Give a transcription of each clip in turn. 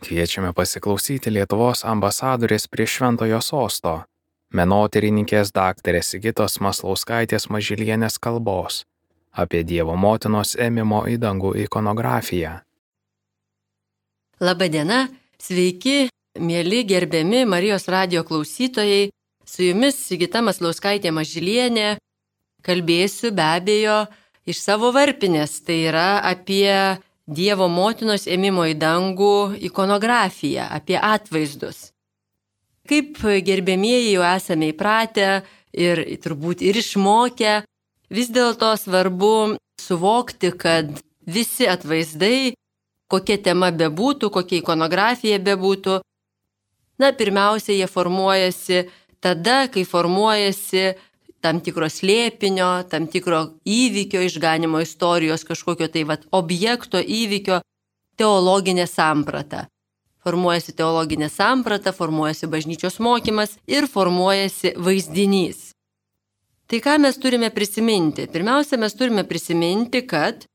Kviečiame pasiklausyti Lietuvos ambasadorės prie Šventojo Sosto, menotyrininkės daktarės Sigitos Maslauskaitės Mažylienės kalbos apie Dievo motinos ėmimo į dangų ikonografiją. Labadiena, sveiki, mieli gerbiami Marijos radijo klausytojai. Su jumis Sigita Maslauskaitė Mažylienė. Kalbėsiu be abejo iš savo varpinės, tai yra apie Dievo motinos ėmimo į dangų ikonografiją, apie atvaizdus. Kaip gerbėmieji jau esame įpratę ir turbūt ir išmokę, vis dėlto svarbu suvokti, kad visi atvaizdai, kokia tema bebūtų, kokia ikonografija bebūtų, pirmiausia, jie formuojasi tada, kai formuojasi tam tikro slėpinio, tam tikro įvykio, išganimo istorijos, kažkokio objekto, įvykio, teologinė samprata. Formuojasi teologinė samprata, formuojasi bažnyčios mokymas ir formuojasi vaizdinys. Tai ką mes turime prisiminti? Pirmiausia, mes turime prisiminti, kad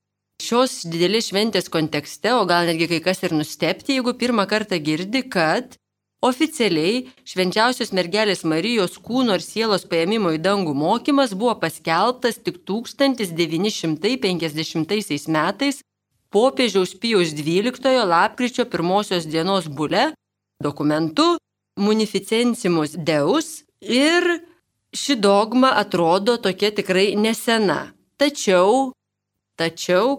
šios didelės šventės kontekste, o gal netgi kai kas ir nustebti, jeigu pirmą kartą girdi, kad oficialiai Švenčiausios mergelės Marijos kūno ir sielos paėmimo į dangų mokymas buvo paskelbtas tik 1950 metais popiežiaus Pijaus XII lapkričio 1 dienos bule, dokumentu Munificencimus Deus, ir ši dogma atrodo tokia tikrai nesena. Tačiau,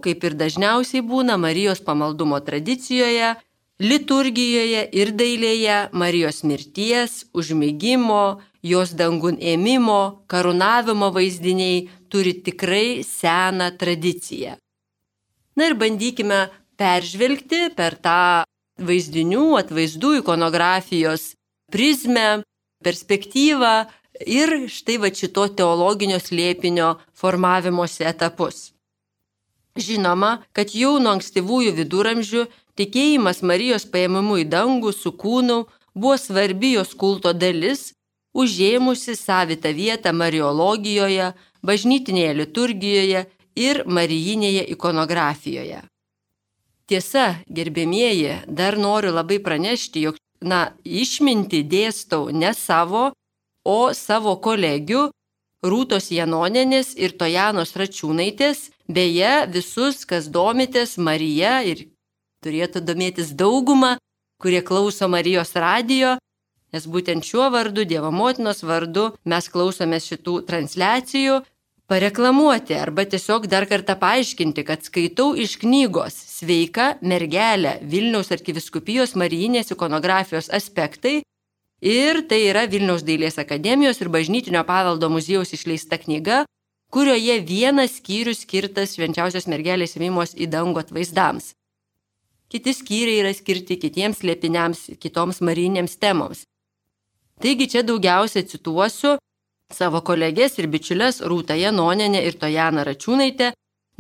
kaip ir dažniausiai būna Marijos pamaldumo tradicijoje, liturgijoje ir dailėje Marijos mirties, užmigimo, jos dangun ėmimo, karūnavimo vaizdiniai turi tikrai seną tradiciją. Ir bandykime peržvelgti per tą vaizdinių, atvaizdų ikonografijos prizmę, perspektyvą ir štai šito teologinio slėpinio formavimosi etapus. Žinoma, kad jau nuo ankstyvųjų viduramžių tikėjimas Marijos paėmimu į dangų su kūnu buvo svarbi jos kulto dalis, užėmusi savitą vietą mariologijoje, bažnytinėje liturgijoje ir marijinėje ikonografijoje. Tiesa, gerbėmieji, dar noriu labai pranešti, jog išmintį dėstau ne savo, o savo kolegių Rūtos Janonienės ir Tojanos Račiūnaitės, beje, visus, kas domitės Marija ir turėtų domėtis dauguma, kurie klauso Marijos radijo, nes būtent šiuo vardu, Dievo motinos vardu, mes klausomės šitų transliacijų, pareklamuoti arba tiesiog dar kartą paaiškinti, kad skaitau iš knygos Sveika mergelė Vilniaus arkivyskupijos marijinės ikonografijos aspektai, ir tai yra Vilniaus dailės akademijos ir bažnytinio paveldo muziejaus išleista knyga, kurioje vienas skyrius skirtas Švenčiausios mergelės ėmimos į dangų atvaizdams. Kiti skyriai yra skirti kitiems slėpiniams, kitoms marijinėms temoms. Taigi čia daugiausia cituosiu savo kolegės ir bičiulės Rūtą Janonienę ir Tojaną Račiūnaitę,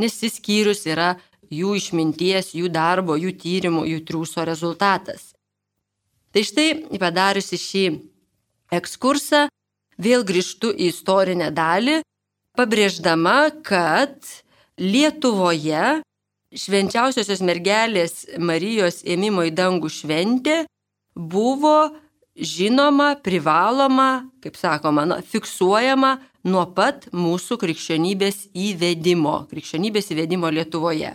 nes šis skyrius yra jų išminties, jų darbo, jų tyrimų, jų triūso rezultatas. Tai štai, padariusi šį ekskursą, vėl grįžtu į istorinę dalį, pabrėždama, kad Lietuvoje Švenčiausiosios mergelės Marijos ėmimo į dangų šventė buvo žinoma, privaloma, kaip sakoma, fiksuojama nuo pat mūsų krikščionybės įvedimo Lietuvoje.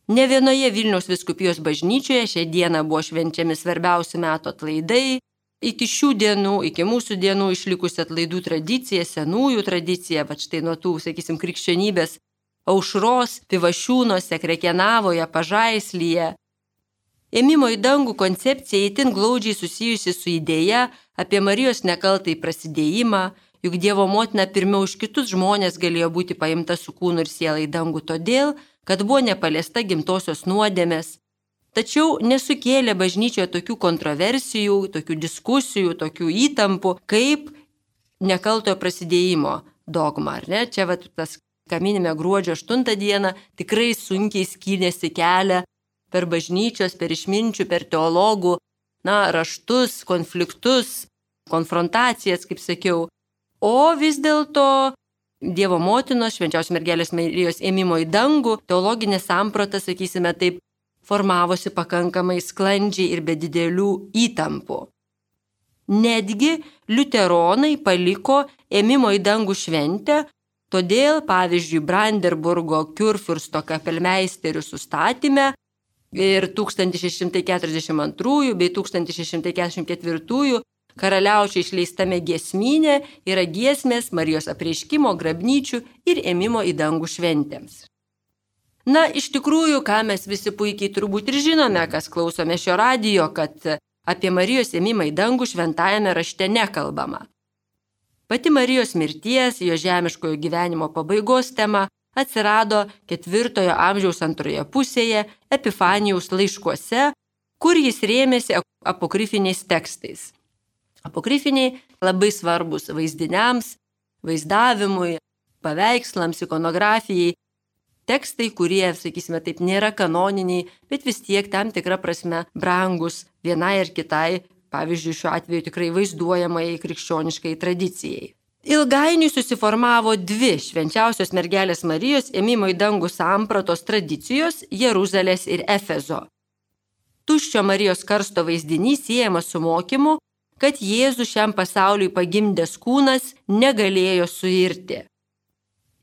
Ne vienoje Vilniaus vyskupijos bažnyčioje šią dieną buvo švenčiami svarbiausi metų atlaidai. Iki šių dienų, iki mūsų dienų išlikusi atlaidų tradicija, senųjų tradicija, štai nuo tų, krikščionybės aušros, Pivašiūnuose, Krekenavoje, Pažaislyje. Ėmimo į dangų koncepcija itin glaudžiai susijusi su idėja apie Marijos nekaltąjį prasidėjimą, juk Dievo motina pirmiau už kitus žmonės galėjo būti paimta su kūnu ir siela į dangų todėl, kad buvo nepaliesta gimtosios nuodėmės. Tačiau nesukėlė bažnyčioje tokių kontroversijų, tokių diskusijų, tokių įtampų, kaip nekaltojo prasidėjimo dogma. Čia tas, ką minime gruodžio 8 dieną, tikrai sunkiai skynėsi kelią per bažnyčios, per išminčių, per teologų, raštus, konfliktus, konfrontacijas, kaip sakiau. O vis dėlto Dievo motinos, Švenčiausios mergelės Marijos ėmimo į dangų, teologinė samprata, sakysime taip, formavosi pakankamai sklandžiai ir be didelių įtampų. Netgi liuteronai paliko ėmimo į dangų šventę, todėl, pavyzdžiui, Brandenburgo Kurfürsto kapelmeisterių sustatyme ir 1642 bei 1644 karaliaučių išleistame giesmyne yra giesmės Marijos apreiškimo, grabnyčių ir ėmimo į dangų šventėms. Na, iš tikrųjų, ką mes visi puikiai turbūt ir žinome, kas klausome šio radijo, kad apie Marijos ėmimą į dangų šventajame rašte nekalbama. Pati Marijos mirties, jo žemiškojo gyvenimo pabaigos tema atsirado 4 amžiaus antroje pusėje Epifanijaus laiškuose, kur jis rėmėsi apokrifiniais tekstais. Apokrifiniai labai svarbus vaizdiniams, vaizdavimui, paveikslams, ikonografijai. Tekstai, kurie, sakysime taip, nėra kanoniniai, bet vis tiek tam tikrą prasme brangus vienai ar kitai, pavyzdžiui, šiuo atveju tikrai vaizduojamai krikščioniškai tradicijai. Ilgainiui susiformavo 2 švenčiausios mergelės Marijos ėmimo į dangų sampratos tradicijos Jeruzalės ir Efezo. Tuščio Marijos karsto vaizdinys siejamas su mokymu, kad Jėzus šiam pasauliui pagimdęs kūnas negalėjo suirti.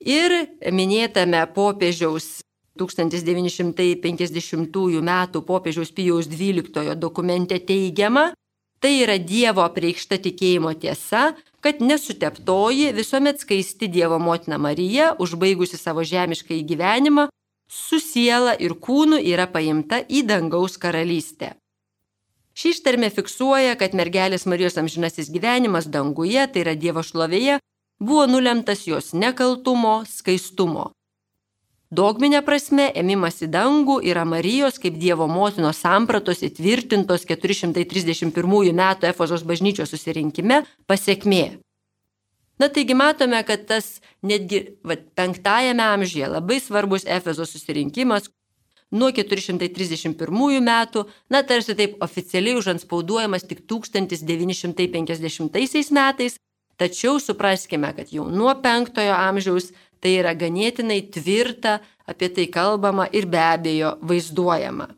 Ir minėtame popiežiaus 1950 metų popiežiaus Pijaus XII dokumente teigiama, tai yra Dievo apreikšta tikėjimo tiesa, kad nesuteptoji visuomet skaisti Dievo motina Marija, užbaigusi savo žemiškąjį gyvenimą, su siela ir kūnu yra paimta į dangaus karalystę. Ši ištarmė fiksuoja, kad mergelės Marijos amžinasis gyvenimas danguje, tai yra Dievo šlovėje, buvo nulemtas jos nekaltumo, skaistumo. Dogminė prasme, ėmimas į dangų yra Marijos kaip Dievo motinos sampratos įtvirtintos 431 metų Efezos bažnyčios susirinkime pasekmė. Na taigi matome, kad tas netgi 5 amžiuje labai svarbus Efezos susirinkimas nuo 431 metų, na tarsi taip oficialiai užantspauduojamas tik 1950 metais, tačiau supraskime, kad jau nuo 5 amžiaus tai yra ganėtinai tvirta, apie tai kalbama ir be abejo vaizduojama.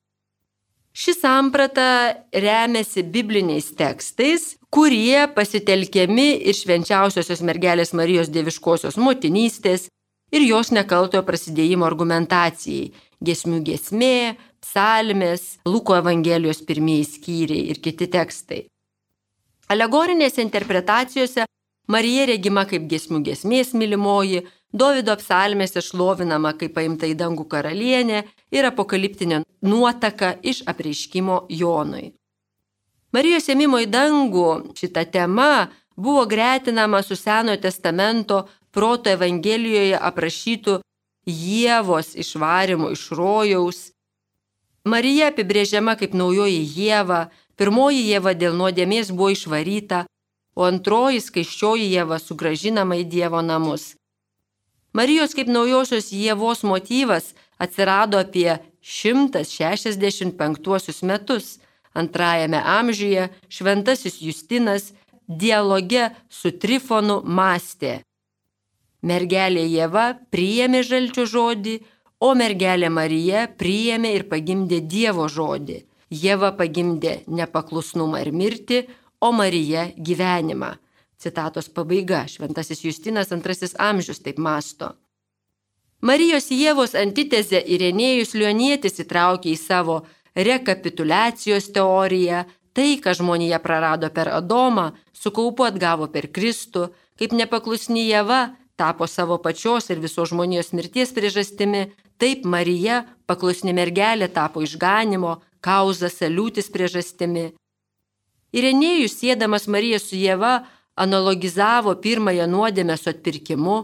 Ši samprata remiasi bibliniais tekstais, kurie pasitelkiami ir švenčiausiosios mergelės Marijos dieviškosios motinystės ir jos nekaltojo prasidėjimo argumentacijai, giesmių giesmė, psalmės, Luko Evangelijos pirmieji skyriai ir kiti tekstai. Alegorinėse interpretacijose Marija regima kaip giesmių giesmės mylimoji, Dovydo psalmėse šlovinama kaip paimta į dangų karalienė ir apokaliptinė nuotaka iš apreiškimo Jonui. Marijos ėmimo į dangų šita tema buvo gretinama su Senojo testamento Proto Evangelijoje aprašytų Ievos išvarimų iš rojaus. Marija apibrėžiama kaip naujoji Ieva, pirmoji Ieva dėl nuodėmės buvo išvaryta, o antroji skaisčioji Ieva sugrąžinama į Dievo namus. Marijos kaip naujosios Ievos motyvas atsirado apie 165 metus. 2 amžiuje šventasis Justinas dialoge su Trifonu mąstė. Mergelė Ieva priėmė žalčio žodį, o mergelė Marija priėmė ir pagimdė Dievo žodį. Ieva pagimdė nepaklusnumą ir mirtį, o Marija gyvenimą. Citatos pabaiga, šventasis Justinas 2 amžius taip mąsto. Marijos Ievos antitezę Irenėjus Lionietis įtraukė į savo rekapituliacijos teoriją, tai, ką žmonija prarado per Adomą, su kaupu atgavo per Kristų, kaip nepaklusni Ieva tapo savo pačios ir visos žmonijos mirties priežastimi, taip Marija, paklusni mergelė, tapo išganimo, kauza saliūtis priežastimi. Irenėjus, siedamas Mariją su Ieva, analogizavo pirmąją nuodėmę su atpirkimu.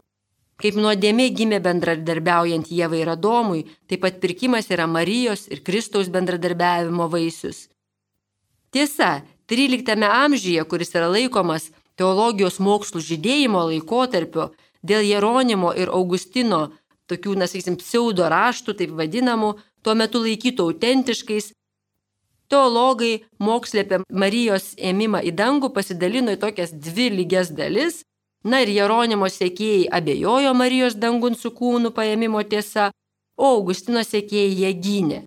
Kaip nuodėmė gimė bendradarbiaujant Ievai ir Adomui, taip atpirkimas yra Marijos ir Kristaus bendradarbiavimo vaisius. Tiesa, 13 amžiuje, kuris yra laikomas teologijos mokslų žydėjimo laikotarpiu, dėl Jeronimo ir Augustino, tokių, pseudo raštų, taip vadinamų, tuo metu laikytų autentiškais, teologai mokslė apie Marijos ėmimą į dangų pasidalino į tokias 2 lygias dalis. Na ir Jeronimo sekėjai abejojo Marijos dangun su kūnu paėmimo tiesa, o Augustino sekėjai ją gynė.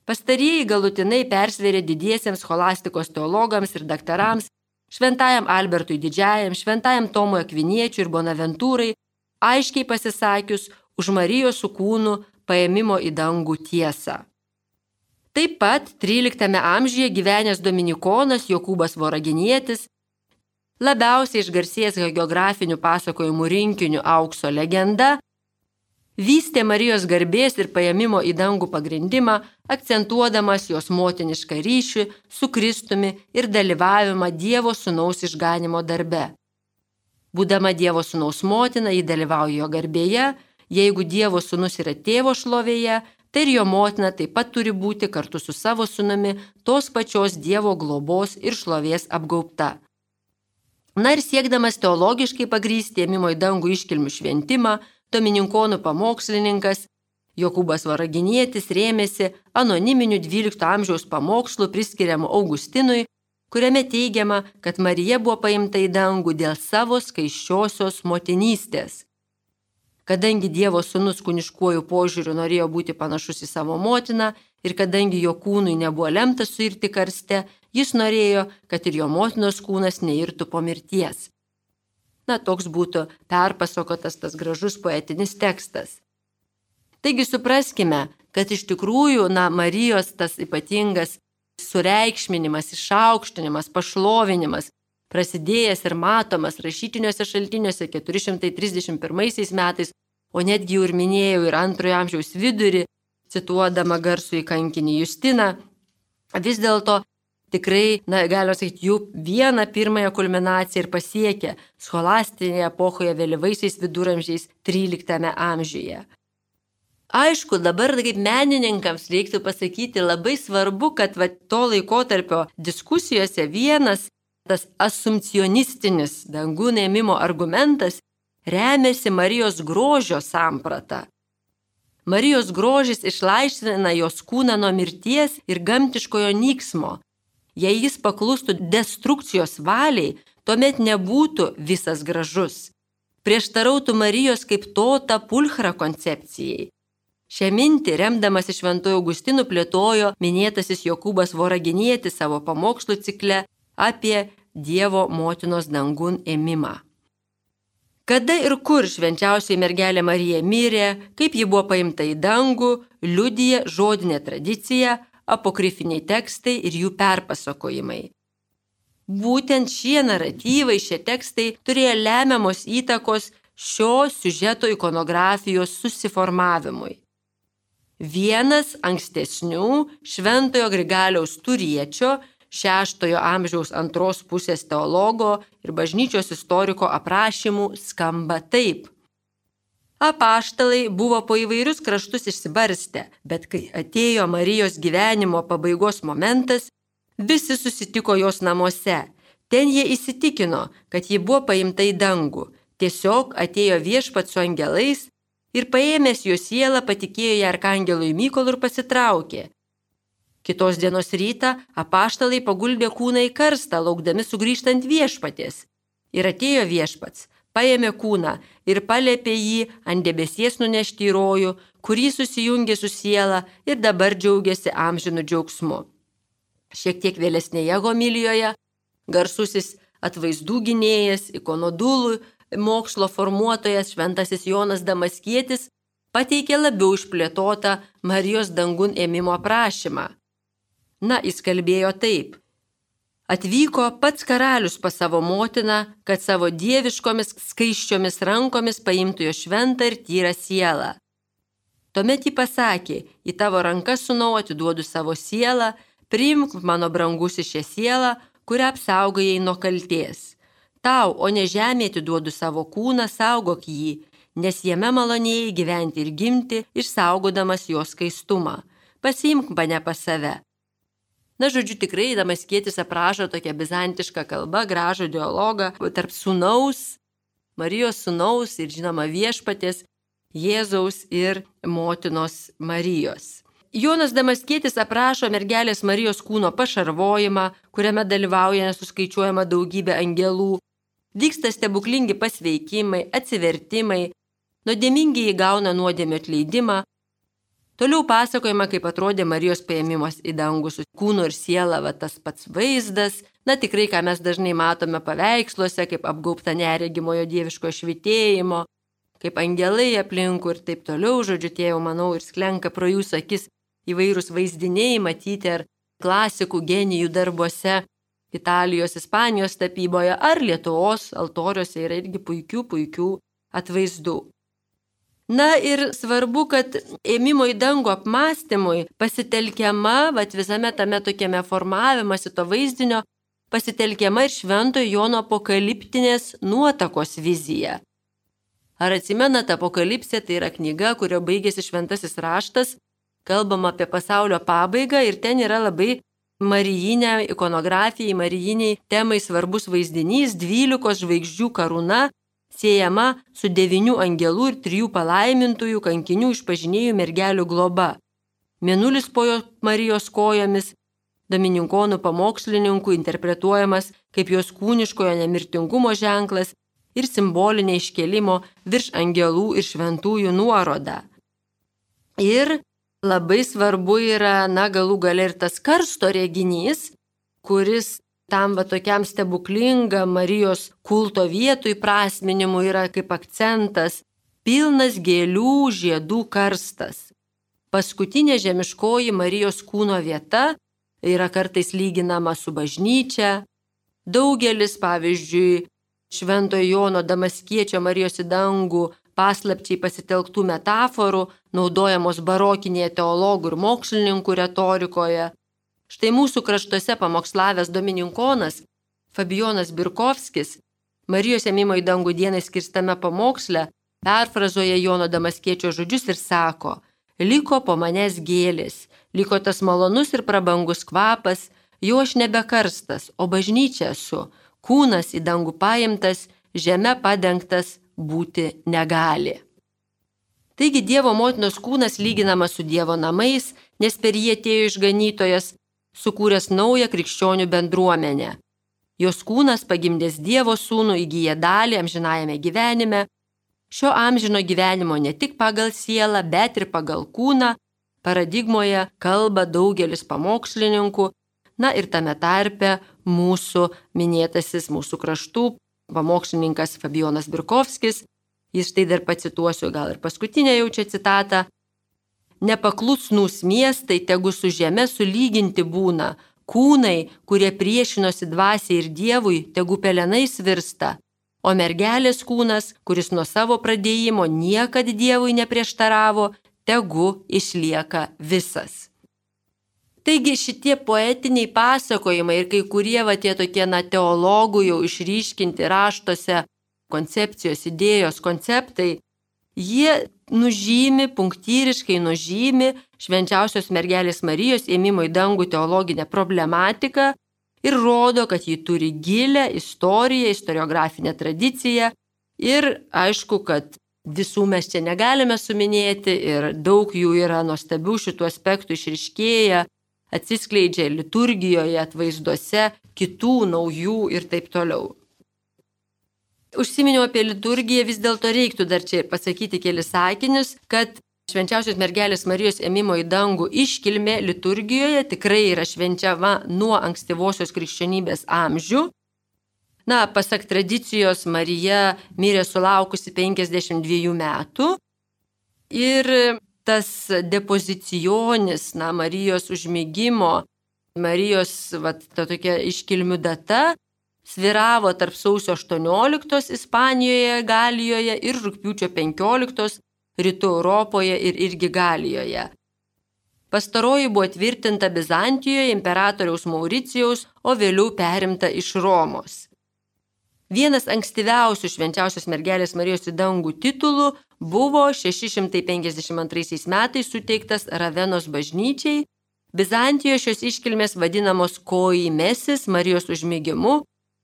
Pastarieji galutinai persvėrė didiesiems scholastikos teologams ir daktarams, šventajam Albertui Didžiajam, šventajam Tomui Akviniečiui ir Bonaventūrai, aiškiai pasisakius už Marijos su kūnu paėmimo į dangų tiesą. Taip pat 13 amžiuje gyvenęs dominikonas Jokūbas Voraginietis, labiausiai išgarsėjęs hagiografinių pasakojimų rinkiniu Aukso legenda, vystė Marijos garbės ir paėmimo į dangų pagrindimą, akcentuodamas jos motinišką ryšį su Kristumi ir dalyvavimą Dievo Sūnaus išganimo darbe. Būdama Dievo Sūnaus motina, ji dalyvauja jo garbėje, jeigu Dievo Sūnus yra tėvo šlovėje, tai ir jo motina taip pat turi būti kartu su savo sūnumi tos pačios Dievo globos ir šlovės apgaubta. Na ir siekdamas teologiškai pagrįsti ėmimo į dangų iškilmių šventimą, domininkonų pamokslininkas Jokūbas Voraginietis rėmėsi anoniminiu 12 amžiaus pamokslu priskiriamu Augustinui, kuriame teigiama, kad Marija buvo paimta į dangų dėl savo skaisčiosios motinystės. Kadangi Dievo Sūnus kūniškuoju požiūriu norėjo būti panašus į savo motiną ir kadangi jo kūnui nebuvo lemta suirti karste, jis norėjo, kad ir jo motinos kūnas neirtų po mirties. Na, toks būtų perpasakotas tas gražus poetinis tekstas. Taigi supraskime, kad iš tikrųjų, Marijos tas ypatingas sureikšminimas, išaukštinimas, pašlovinimas, prasidėjęs ir matomas rašytiniuose šaltiniuose 431 metais, o netgi jau ir minėjau ir 2 amžiaus vidurį, cituodama garsųjį kankinį Justiną, vis dėlto tikrai, galima sakyti, jų vieną pirmąją kulminaciją ir pasiekė scholastinėje epochoje vėlyvaisiais viduramžiais 13 amžiuje. Aišku, dabar kaip menininkams reiktų pasakyti labai svarbu, kad to laikotarpio diskusijose vienas tas asumpcionistinis dangų ėmimo argumentas remiasi Marijos grožio samprata. Marijos grožis išlaisvina jos kūną nuo mirties ir gamtiškojo nyksmo. Jei jis paklustų destrukcijos valiai, tuomet nebūtų visas gražus. Prieštarautų Marijos kaip tota pulchra koncepcijai. Šią mintį, remdamas iš Šventojo Augustinu, plėtojo minėtasis Jokūbas Voraginietis savo pamokslų cikle apie Dievo motinos dangun ėmimą. Kada ir kur švenčiausioji mergelė Marija mirė, kaip ji buvo paimta į dangų, liudija žodinė tradicija, apokrifiniai tekstai ir jų perpasakojimai. Būtent šie naratyvai, šie tekstai turėjo lemiamos įtakos šio siužeto ikonografijos susiformavimui. Vienas ankstesnių Šventojo Grigaliaus Turiečio 6 amžiaus 2 pusės teologo ir bažnyčios istoriko aprašymų skamba taip. Apaštalai buvo po įvairius kraštus išsibarstę, bet kai atėjo Marijos gyvenimo pabaigos momentas, visi susitiko jos namuose. Ten jie įsitikino, kad ji buvo paimta į dangų. Tiesiog atėjo Viešpats su angelais ir paėmęs jo sielą patikėjo ją arkangelui Mykolui ir pasitraukė. Kitos dienos rytą apaštalai paguldė kūną į karstą, laukdami sugrįžtant Viešpaties. Ir atėjo Viešpats, paėmė kūną ir palėpė jį ant debesies nunešti į rojų, kurį susijungė su siela ir dabar džiaugiasi amžinu džiaugsmu. Šiek tiek vėlesnėje homilijoje garsusis atvaizdų gynėjas, ikonodulų mokslo formuotojas šventasis Jonas Damaskietis pateikė labiau išplėtotą Marijos dangun ėmimo aprašymą. Jis kalbėjo taip. Atvyko pats karalius pas savo motiną, kad savo dieviškomis skaisčiomis rankomis paimtų jo šventą ir tyrą sielą. Tuomet ji pasakė, į tavo rankas, sūnau, atiduodu savo sielą, priimk mano brangusi šią sielą, kurią apsaugojai nuo kaltės. Tau, o ne žemė, atiduodu savo kūną, saugok jį, nes jame malonėjai gyventi ir gimti, išsaugodamas jo skaistumą. Pasiimk mane pas save. Žodžiu, tikrai Damaskietis aprašo tokią bizantišką kalbą, gražų dialogą tarp sūnaus, Marijos sūnaus ir žinoma Viešpaties, Jėzaus ir motinos Marijos. Jonas Damaskietis aprašo mergelės Marijos kūno pašarvojimą, kuriame dalyvauja nesuskaičiuojama daugybė angelų. Vyksta stebuklingi pasveikimai, atsivertimai, nuodėmingieji gauna nuodėmio atleidimą. Toliau pasakojama, kaip atrodė Marijos paėmimas į dangų su kūnu ir siela, tas pats vaizdas. Tikrai, ką mes dažnai matome paveiksluose, kaip apgaubta neregimojo dieviško švytėjimo, kaip angelai aplinkų ir taip toliau, žodžiu, tie jau, manau, ir sklenka pro jūsų akis įvairūs vaizdiniai matyti ar klasikų genijų darbuose, Italijos, Ispanijos tapyboje ar Lietuvos altoriuose yra irgi puikių atvaizdų. Ir svarbu, kad ėmimo į dangų apmąstymui pasitelkiama, visame tame tokiame formavimasi to vaizdinio, pasitelkiama ir Šventojo Jono apokaliptinės nuotakos vizija. Ar atsimenate, Apokalipsė tai yra knyga, kurio baigėsi šventasis raštas, kalbama apie pasaulio pabaigą ir ten yra labai marijinė ikonografijai, marijiniai temai svarbus vaizdinys, 12 žvaigždžių karūna, siejama su 9 angelų ir 3 palaimintųjų kankinių išpažinėjų mergelių globa. Mėnulis po Marijos kojomis, domininkonų pamokslininkų interpretuojamas kaip jos kūniškojo nemirtingumo ženklas ir simbolinė iškėlimo virš angelų ir šventųjų nuoroda. Ir labai svarbu yra, galų gale ir tas karsto reginys, kuris tam tokiam stebuklingam Marijos kulto vietų įprasminimui yra kaip akcentas, pilnas gėlių žiedų karstas. Paskutinė žemiškoji Marijos kūno vieta yra kartais lyginama su bažnyčia. Daugelis, pavyzdžiui, Šventojo Jono Damaskiečio Marijos į dangų paslapčiai pasitelktų metaforų, naudojamos barokinėje teologų ir mokslininkų retorikoje. Štai mūsų kraštuose pamokslavęs domininkonas Fabijonas Birkovskis Marijos ėmimo į dangų dienai skirstame pamoksle perfrazuoja Jono Damaskiečio žodžius ir sako: liko po manęs gėlės, liko tas malonus ir prabangus kvapas, jau aš nebekarstas, o bažnyčia esu, kūnas į dangų paimtas, žeme padengtas būti negali. Taigi Dievo motinos kūnas lyginamas su Dievo namais, nes per jį atėjo išganytojas, sukūręs naują krikščionių bendruomenę. Jos kūnas pagimdęs Dievo sūnų įgyja dalį amžinajame gyvenime, šio amžino gyvenimo ne tik pagal sielą, bet ir pagal kūną, paradigmoje kalba daugelis pamokslininkų, ir tame tarpe mūsų minėtasis mūsų kraštų pamokslininkas Fabijonas Birkovskis. Jis štai dar pacituosiu, gal ir paskutinę jau čia citatą. Nepaklusnūs miestai tegu su žeme sulyginti būna, kūnai, kurie priešinosi dvasiai ir Dievui, tegu pelenais virsta, o mergelės kūnas, kuris nuo savo pradėjimo niekad Dievui neprieštaravo, tegu išlieka visas. Taigi šitie poetiniai pasakojimai ir kai kurie tie tokie teologų jau išryškinti raštuose koncepcijos, idėjos, konceptai, jie punktyriškai nužymi švenčiausios mergelės Marijos ėmimo į dangų teologinę problematiką ir rodo, kad ji turi gilę istoriją, istoriografinę tradiciją ir aišku, kad visų mes čia negalime suminėti ir daug jų yra nuostabių šitų aspektų išryškėję, atsiskleidžia liturgijoje, atvaizduose, kitų naujų ir taip toliau. Užsiminiau apie liturgiją, vis dėlto reiktų dar čia pasakyti kelis sakinius, kad švenčiausios mergelės Marijos ėmimo į dangų iškilmė liturgijoje tikrai yra švenčiama nuo ankstyvosios krikščionybės amžių. Pasak tradicijos, Marija mirė sulaukusi 52 metų ir tas depozicijonis, Marijos užmigimo, Marijos ta tokia iškilmių data sviravo tarp sausio 18 Ispanijoje, Galijoje ir rugpjūčio 15 Rytų Europoje ir irgi Galijoje. Pastaroji buvo tvirtinta Bizantijoje imperatoriaus Mauricijaus, o vėliau perimta iš Romos. Vienas ankstyviausių švenčiausios mergelės Marijos į dangų titulų buvo 652 metais suteiktas Ravenos bažnyčiai. Bizantijoje šios iškilmės vadinamos koimesis Marijos užmigimu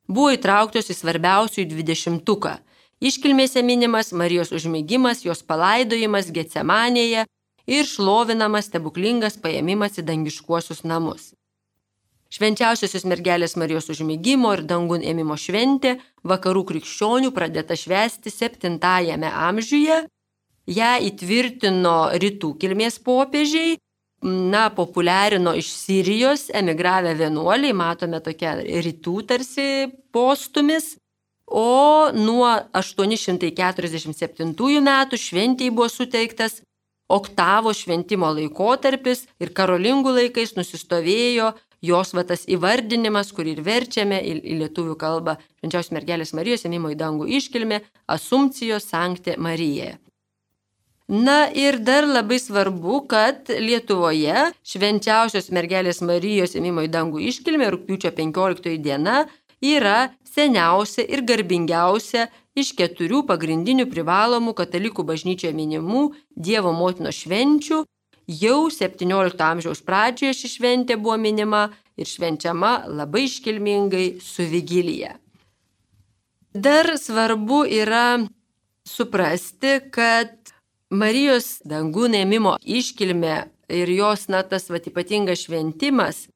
buvo įtrauktos į svarbiausių 20-tuką. Iškilmėse minimas Marijos užmigimas, jos palaidojimas Getsemanėje ir šlovinamas stebuklingas paėmimas į dangiškuosius namus. Švenčiausiosios mergelės Marijos užmigimo ir dangun ėmimo šventė vakarų krikščionių pradėta švęsti 7 amžiuje ją įtvirtino rytų kilmės popiežiai, populiarino iš Sirijos emigravę vienuoliai, matome tokia rytų tarsi postumis, o nuo 847 metų šventei buvo suteiktas oktavo šventimo laikotarpis ir karolingų laikais nusistovėjo jos tas įvardinimas, kurį ir verčiame į lietuvių kalbą, Švenčiausios mergelės Marijos ėmimo į dangų iškilmė, Assumpcijos Sancte Mariae. Na ir dar labai svarbu, kad Lietuvoje Švenčiausios mergelės Marijos ėmimo į dangų iškilmė rugpjūčio 15 diena yra seniausia ir garbingiausia iš 4 pagrindinių privalomų katalikų bažnyčioje minimų Dievo motinos švenčių. Jau 17 amžiaus pradžioje ši šventė buvo minima ir švenčiama labai iškilmingai su vigilija. Dar svarbu yra suprasti, kad Marijos dangun ėmimo iškilmė ir jos tas ypatingas šventimas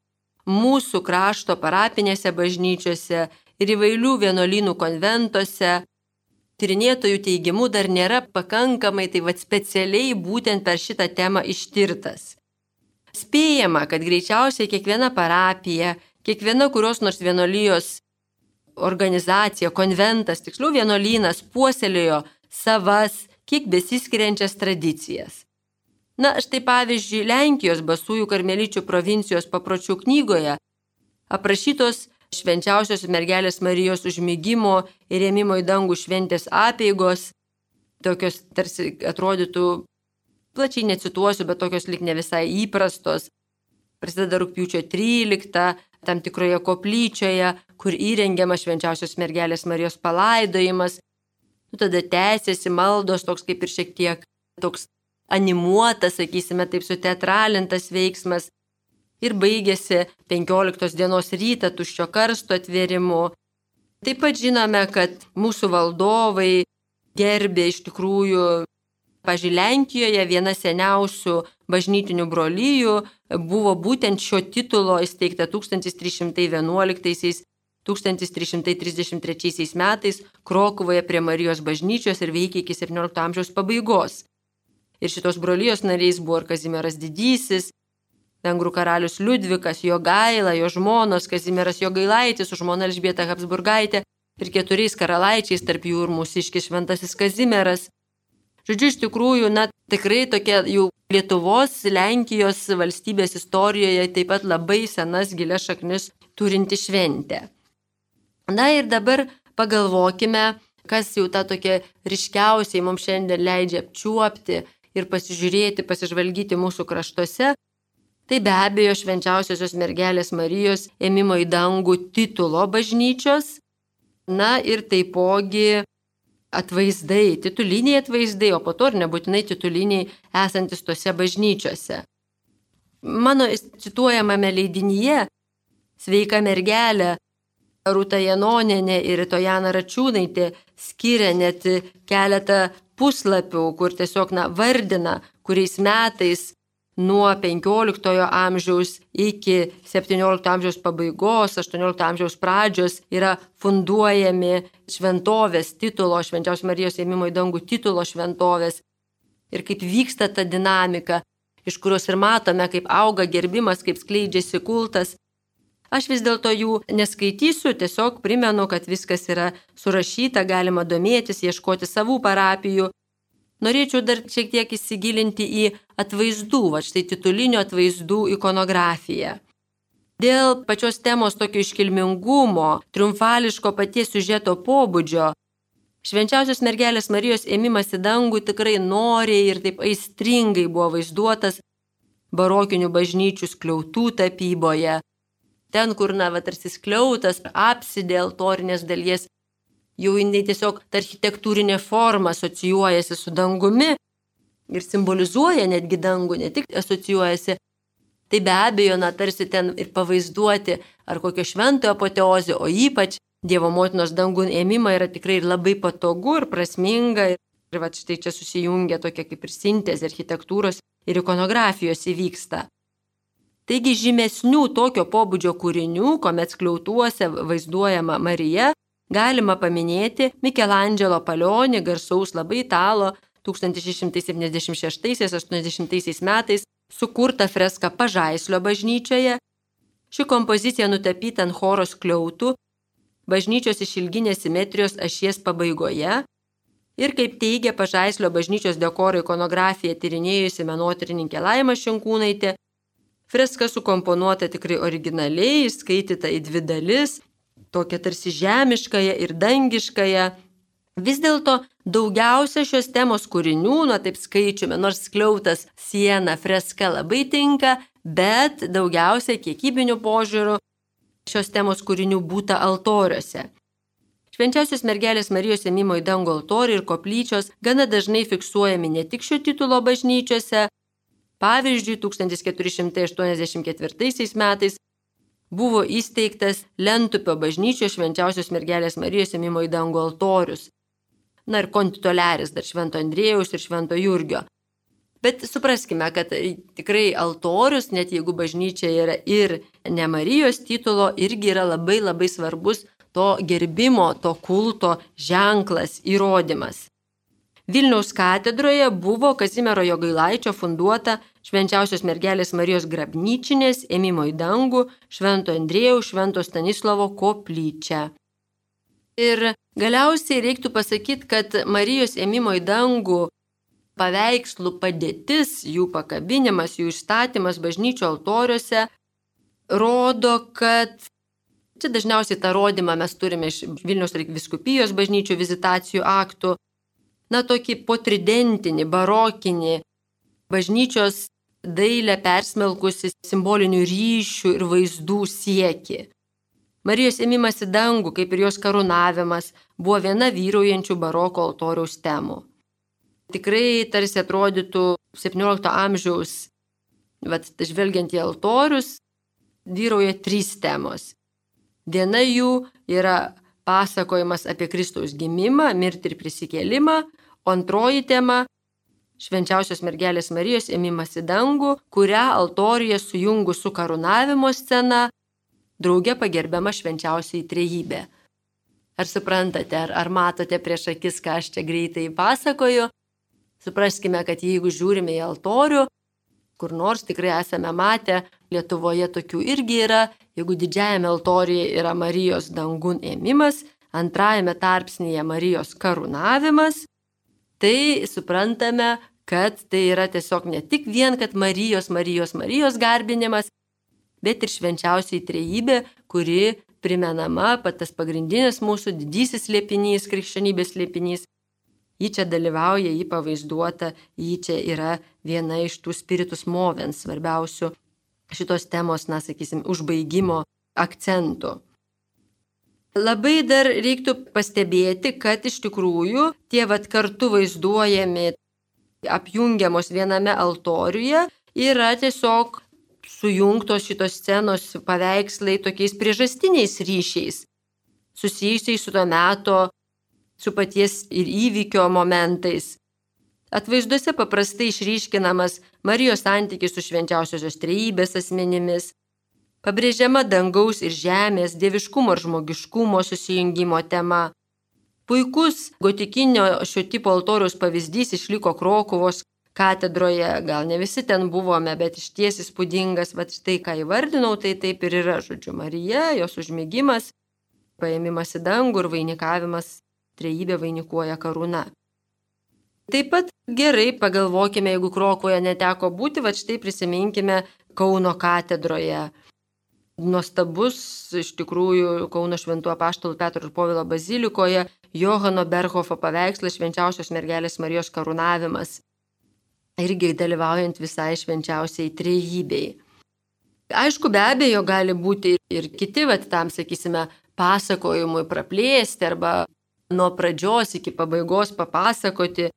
mūsų krašto parapinėse bažnyčiose ir įvairių vienuolynų konventuose tyrinėtojų teigimu dar nėra pakankamai specialiai būtent per šitą temą ištirtas. Spėjama, kad greičiausiai kiekviena parapija, kiekviena kurios nors vienuolijos organizacija, konventas, tiksliau vienuolynas puoselėjo savas, kiek besiskiriančias tradicijas. Štai pavyzdžiui, Lenkijos Basųjų karmeličių provincijos papročių knygoje aprašytos Švenčiausios mergelės Marijos užmigimo ir ėmimo į dangų šventės apeigos, tokios tarsi atrodytų, plačiai necituosiu, bet tokios lyg ne visai įprastos. Prasideda rugpjūčio 13, tam tikroje koplyčioje, kur įrengiamas Švenčiausios mergelės Marijos palaidojimas. Tada tęsiasi maldos, toks kaip ir šiek tiek toks animuotas, sakysime, taip suteatralintas veiksmas. Ir baigėsi 15 dienos rytą tuščio karsto atvėrimu. Taip pat žinome, kad mūsų valdovai gerbė iš tikrųjų, pavyzdžiui, Lenkijoje viena seniausių bažnytinių brolijų buvo būtent šio titulo įsteigta 1311–1333 metais Krokuvoje prie Marijos bažnyčios ir veikė iki 17 amžiaus pabaigos. Ir šitos brolijos nariais buvo ir Kazimieras Didysis, vengrų karalius Liudvikas, Jogaila, jo žmonos Kazimieras Jogailaitis, su žmona Elžbieta Habsburgaitė ir 4 karalaičiais, tarp jų ir mūsiškis Šventasis Kazimieras. Žodžiu, iš tikrųjų, tikrai tokia jau Lietuvos, Lenkijos valstybės istorijoje taip pat labai senas gilias šaknis turinti šventė. Ir dabar pagalvokime, kas jau tą tokia ryškiausiai mums šiandien leidžia apčiuopti ir pasižiūrėti, pasižvalgyti mūsų kraštuose. Tai be abejo Švenčiausiosios mergelės Marijos ėmimo į dangų titulo bažnyčios, ir taipogi atvaizdai, tituliniai atvaizdai, o po to ir nebūtinai tituliniai esantis tose bažnyčiose. Mano cituojamame leidinyje Sveika mergelė Rūta Janonienė ir Tojana Račiūnaitė skiria net keletą puslapių, kur tiesiog vardina, kuriais metais nuo 15 amžiaus iki 17 amžiaus pabaigos, 18 amžiaus pradžios yra funduojami šventovės titulo, Švenčiausios Marijos ėmimo į dangų titulo šventovės. Ir kaip vyksta ta dinamika, iš kurios ir matome, kaip auga gerbimas, kaip skleidžiasi kultas. Aš vis dėlto jų neskaitysiu, tiesiog primenu, kad viskas yra surašyta, galima domėtis, ieškoti savų parapijų. Norėčiau dar šiek tiek įsigilinti į atvaizdų, štai titulinių atvaizdų ikonografiją. Dėl pačios temos tokio iškilmingumo, triumfališko paties siužeto pobūdžio, Švenčiausios mergelės Marijos ėmimas į dangų tikrai noriai ir taip aistringai buvo vaizduotas barokinių bažnyčių skliautų tapyboje. Ten, kur tarsi skliautas, apsidė altorinės dalies, jau jinai tiesiog ta architektūrinė forma asocijuojasi su dangumi ir simbolizuoja netgi dangų, ne tik asocijuojasi. Tai be abejo, tarsi ten ir pavaizduoti ar kokio šventojo apoteozė, o ypač Dievo motinos dangun ėmimą yra tikrai labai patogu ir prasminga. Ir štai čia susijungia tokia kaip ir sintezė architektūros ir ikonografijos įvyksta. Taigi žymesnių tokio pobūdžio kūrinių, kuomet skliautuose vaizduojama Marija, galima paminėti Mikelandželo Palionį, garsaus labai italo 1676–80 metais sukurtą freską Pažaislio bažnyčioje. Ši kompozicija nutapyta ant choro skliautų, bažnyčios išilginės simetrijos ašies pabaigoje ir, kaip teigia Pažaislio bažnyčios dekoro ikonografiją tyrinėjusi menotyrininkė Laima Šinkūnaitė, freska sukomponuota tikrai originaliai, išskaityta į dvi dalis, tokia tarsi žemiškąją ir dangiškąją. Vis dėlto daugiausia šios temos kūrinių, taip skaičiume, nors skliautas, siena, freska labai tinka, bet daugiausia kiekybinių požiūrių šios temos kūrinių būta altoriuose. Švenčiausios mergelės Marijos ėmimo į dangų altoriai ir koplyčios gana dažnai fiksuojami ne tik šio titulo bažnyčiose. Pavyzdžiui, 1484 metais buvo įsteigtas Lentupio bažnyčios Švenčiausios mergelės Marijos ėmimo į dangų altorius. Ir kontitoliaris dar Švento Andriejaus ir Švento Jurgio. Bet supraskime, kad tikrai altorius, net jeigu bažnyčia yra ir ne Marijos titulo, irgi yra labai labai svarbus to gerbimo, to kulto ženklas, įrodymas. Vilniaus katedroje buvo Kazimiero Jogailaičio funduota Švenčiausios mergelės Marijos grabnyčinės ėmimo į dangų Švento Andriejaus, Švento Stanislovo koplyčia. Ir galiausiai reiktų pasakyti, kad Marijos ėmimo į dangų paveikslų padėtis, jų pakabinimas, jų išstatymas bažnyčių altoriuose rodo, kad čia dažniausiai tą rodymą mes turime iš Vilniaus vyskupijos bažnyčių vizitacijų aktų, tokį potridentinį, barokinį, bažnyčios dailę persmelkusi simbolinių ryšių ir vaizdų siekį. Marijos ėmimas į dangų, kaip ir jos karūnavimas, buvo viena vyraujančių baroko altoriaus temų. Tikrai tarsi atrodytų 17 amžiaus, žvelgiant į altorius, vyrauja 3 temos. Viena jų yra pasakojimas apie Kristaus gimimą, mirtį ir prisikėlimą, o antroji tema – Švenčiausios mergelės Marijos ėmimas į dangų, kurią altoriuje sujungus su karūnavimo scena, drauge pagerbiama švenčiausioji trejybė. Ar suprantate, ar matote prieš akis, ką aš čia greitai pasakoju? Supraskime, kad jeigu žiūrime į altorių, kur nors tikrai esame matę, Lietuvoje tokių irgi yra, jeigu didžiajame altoriuje yra Marijos dangun ėmimas, antrajame tarpsnyje Marijos karūnavimas, tai suprantame, kad tai yra tiesiog ne tik vien, kad Marijos garbinimas, bet ir švenčiausiai trejybė, kuri primenama, tas pagrindinis mūsų didysis slėpinys, krikščionybės slėpinys. Ji čia dalyvauja, ji pavaizduota, ji čia yra viena iš tų spiritus movens svarbiausių šitos temos, užbaigimo akcentų. Labai dar reiktų pastebėti, kad iš tikrųjų tie kartu vaizduojami, apjungiamos viename altoriuje, yra tiesiog sujungtos šitos scenos paveikslai tokiais priežastiniais ryšiais, susijusiais su to meto, su paties ir įvykio momentais. Atvaizduose paprastai išryškinamas Marijos santykis su švenčiausiosios trejybės asmenimis, pabrėžiama dangaus ir žemės, dieviškumo ir žmogiškumo susijungimo tema. Puikus gotikinio šio tipo altoriaus pavyzdys išliko Krokuvos katedroje, gal ne visi ten buvome, bet išties įspūdingas, štai ką įvardinau, tai taip ir yra, Marija, jos užmigimas, paėmimas į dangų ir vainikavimas, trejybė vainikuoja karūna. Taip pat gerai pagalvokime, jeigu Krokuvoje neteko būti, štai prisiminkime Kauno katedroje. Nuostabus, iš tikrųjų, Kauno Šventų apaštalų Petro ir Povilo bazilikoje Johano Berhofo paveikslas Švenčiausios mergelės Marijos karūnavimas, irgi dalyvaujant visai švenčiausiai trejybei. Aišku, be abejo, gali būti ir kiti, tam, pasakojimui praplėsti arba nuo pradžios iki pabaigos papasakoti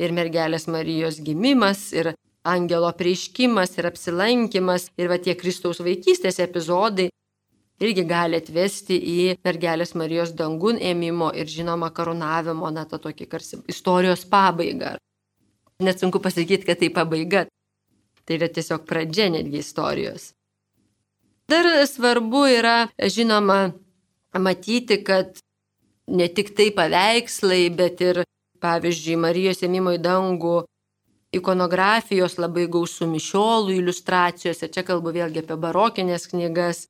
ir mergelės Marijos gimimas, ir angelo apreiškimas, ir apsilankimas, ir tie Kristaus vaikystės epizodai irgi gali atvesti į mergelės Marijos dangun ėmimo ir žinoma karūnavimo, tą tokį istorijos pabaigą. Net sunku pasakyti, kad tai pabaiga. Tai yra tiesiog pradžia netgi istorijos. Dar svarbu yra, žinoma, matyti, kad ne tik tai paveikslai, bet ir pavyzdžiui, Marijos ėmimo į dangų ikonografijos labai gausų mišiolų iliustracijose, čia kalbu vėlgi apie barokinės knygas,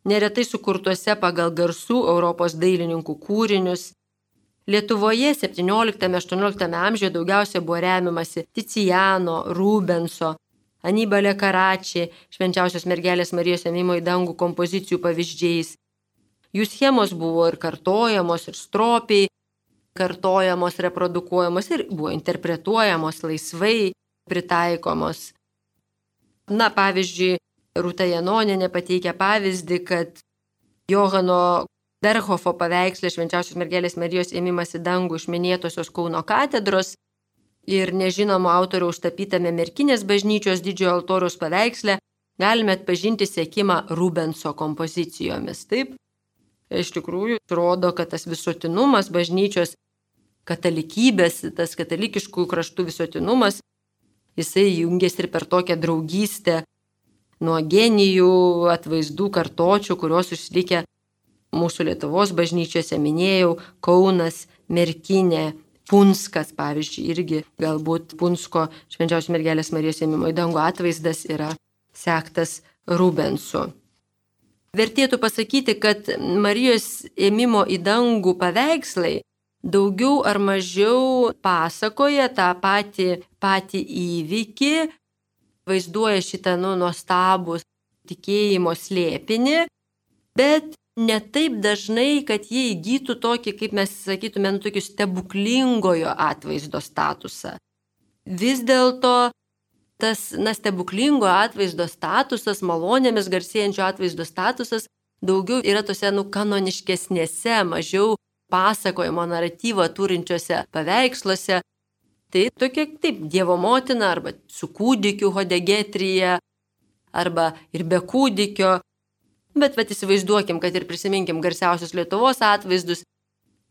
neretai sukurtuose pagal garsų Europos dailininkų kūrinius. Lietuvoje 17-18 amžiuje daugiausia buvo remiamasi Ticijano, Rubenso, Anibalė Karači, Švenčiausios mergelės Marijos ėmimo į dangų kompozicijų pavyzdžiais. Jų schemos buvo ir kartojamos, ir stropiai kartojamos, reprodukuojamos ir buvo interpretuojamos laisvai, pritaikomos. Na, pavyzdžiui, Rūta Janonienė pateikia pavyzdį, kad Johano Berhofo paveiksle Švenčiausios mergelės Marijos ėmimas į dangų iš minėtosios Kauno katedros ir nežinomo autoriaus tapytame Merkinės bažnyčios didžiojo altoriaus paveiksle galime atpažinti sekimą Rubenso kompozicijomis. Taip, iš tikrųjų, rodo, kad tas visuotinumas bažnyčios katalikybės, tas katalikiškų kraštų visuotinumas, jisai jungiasi ir per tokią draugystę nuo genijų, atvaizdų, kartočių, kurios išlikę mūsų Lietuvos bažnyčiose, minėjau, Kaunas, Merkinė, Punskas, pavyzdžiui, irgi galbūt Punsko Švenčiausios mergelės Marijos ėmimo į dangų atvaizdas yra sektas Rubensu. Vertėtų pasakyti, kad Marijos ėmimo į dangų paveikslai daugiau ar mažiau pasakoja tą patį įvykį, vaizduoja šitą nuostabų tikėjimo slėpinį, bet ne taip dažnai, kad jie įgytų tokį, kaip mes sakytume, tokį stebuklingojo atvaizdo statusą. Vis dėlto tas stebuklingo atvaizdo statusas, malonėmis garsėjančio atvaizdo statusas daugiau yra tose kanoniškesnėse, mažiau pasakojimo naratyvo turinčiose paveiksluose. Tai tokia, taip, Dievo motina arba su kūdikiu hodegetrija arba ir be kūdikio. Bet įsivaizduokim, kad ir prisiminkim garsiausius Lietuvos atvaizdus.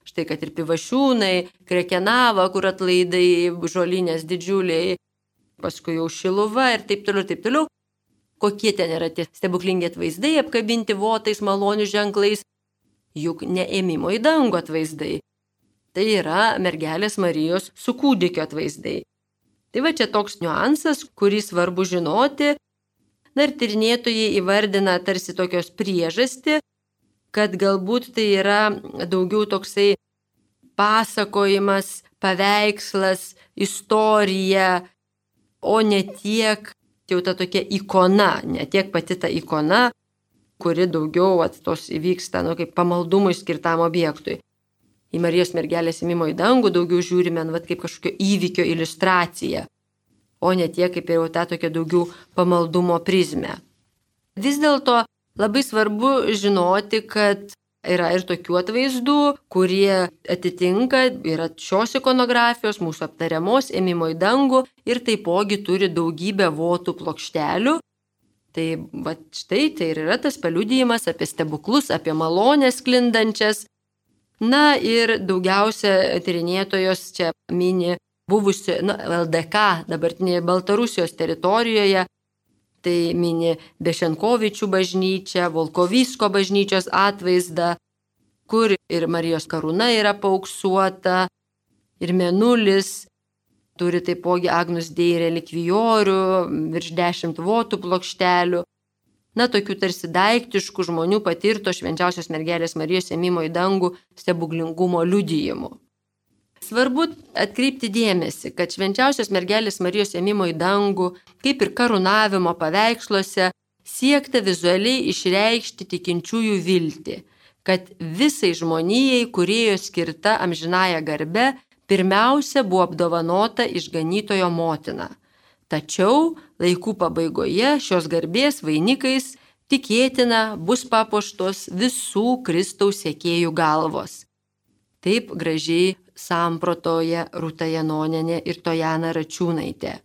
Štai, kad ir Pivašiūnai, Krekenava, kur atlaidai, žolinės didžiuliai, paskui jau Šiluva ir taip toliau, taip toliau. Kokie ten yra tie stebuklingi atvaizdai apkabinti votais, malonių ženklais, juk ne ėmimo į dangų atvaizdai. Tai yra mergelės Marijos su kūdikio atvaizdai. Tai va čia toks niuansas, kurį svarbu žinoti. Na ir tyrinėtojai įvardina tarsi tokios priežastį, kad galbūt tai yra daugiau toksai pasakojimas, paveikslas, istorija, o ne tiek jau ta tokia ikona, ne tiek pati ta ikona, kuri daugiau tos įvyksta kaip pamaldumui skirtam objektui. Į Marijos mergelės ėmimo į dangų daugiau žiūrime kaip kažkokio įvykio iliustraciją, o ne tiek kaip jau tą tokią daugiau pamaldumo prizmę. Vis dėlto labai svarbu žinoti, kad yra ir tokių atvaizdų, kurie atitinka, yra šios ikonografijos, mūsų aptariamos ėmimo į dangų ir taipogi turi daugybę votų plokštelių. Tai štai tai ir yra tas paliudijimas apie stebuklus, apie malonės sklindančias. Na ir daugiausia tyrinėtojos čia mini buvusi LDK, dabartinėje Baltarusijos teritorijoje, tai mini Bešenkovičių bažnyčią, Volkovysko bažnyčios atvaizdą, kur ir Marijos karūna yra paauksuota, ir mėnulis, turi taipogi Agnus Dei relikvijorių, virš 10 votų plokštelių. Na, tokių tarsi daiktiškų žmonių patirto Švenčiausios mergelės Marijos ėmimo į dangų stebuklingumo liudijimų. Svarbu atkreipti dėmesį, kad Švenčiausios mergelės Marijos ėmimo į dangų, kaip ir karūnavimo paveiksluose, siekta vizualiai išreikšti tikinčiųjų viltį, kad visai žmonijai, kūrėjo skirta amžinąja garbe, pirmiausia buvo apdovanota išganytojo motina. Tačiau laikų pabaigoje šios garbės vainikais tikėtina bus papuoštos visų Kristaus sekėjų galvos. Taip gražiai samprotoja Rūta Janonienė ir Tojana Račiūnaitė.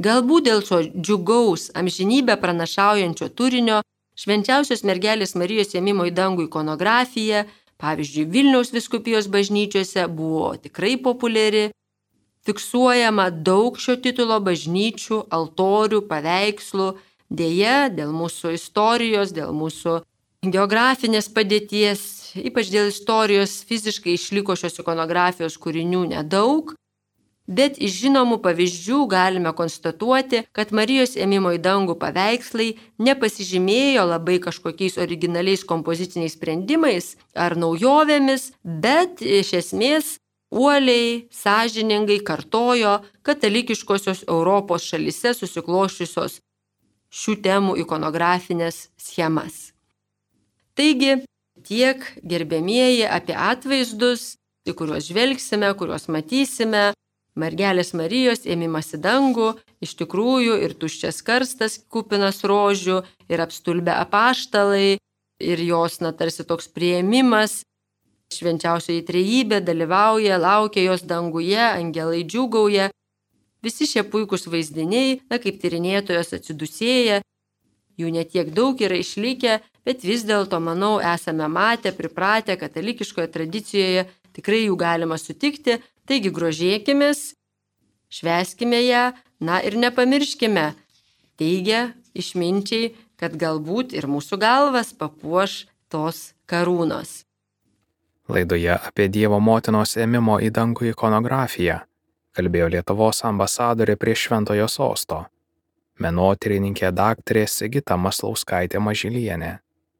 Galbūt dėl šio džiugaus amžinybę pranašaujančio turinio Švenčiausios mergelės Marijos ėmimo į dangų ikonografija, pavyzdžiui, Vilniaus vyskupijos bažnyčiose buvo tikrai populiari. Fiksuojama daug šio titulo bažnyčių, altorių, paveikslų. Deja, dėl mūsų istorijos, dėl mūsų geografinės padėties ypač dėl istorijos, fiziškai išliko šios ikonografijos kūrinių nedaug, bet iš žinomų pavyzdžių galime konstatuoti, kad Marijos ėmimo į dangų paveikslai nepasižymėjo labai kažkokiais originaliais kompoziciniais sprendimais ar naujovėmis, bet iš esmės uoliai, sąžiningai kartojo katalikiškosios Europos šalyse susikloščiusios šių temų ikonografinės schemas. Taigi, tiek gerbėmieji apie atvaizdus, į kuriuos žvelgsime, kuriuos matysime. Mergelės Marijos ėmimas į dangų, iš tikrųjų ir tuščias karstas kupinas rožių, ir apstulbę apaštalai, ir jos, tarsi toks priėmimas. Švenčiausioji trejybė dalyvauja, laukia jos danguje, angelai džiūgauja. Visi šie puikūs vaizdiniai, kaip tyrinėtojos atsidusėja, jų netiek daug yra išlikę, bet vis dėlto, manau, esame matę, pripratę katalikiškoje tradicijoje, tikrai jų galima sutikti. Taigi grožėkimės, švęskime ją, ir nepamirškime, teigia išminčiai, kad galbūt ir mūsų galvas papuoš tos karūnos. Laidoje apie Dievo motinos ėmimo į dangų ikonografiją kalbėjo Lietuvos ambasadorė prie Šventojo sosto, menotyrininkė daktarė Sigita Maslauskaitė Mažylienė.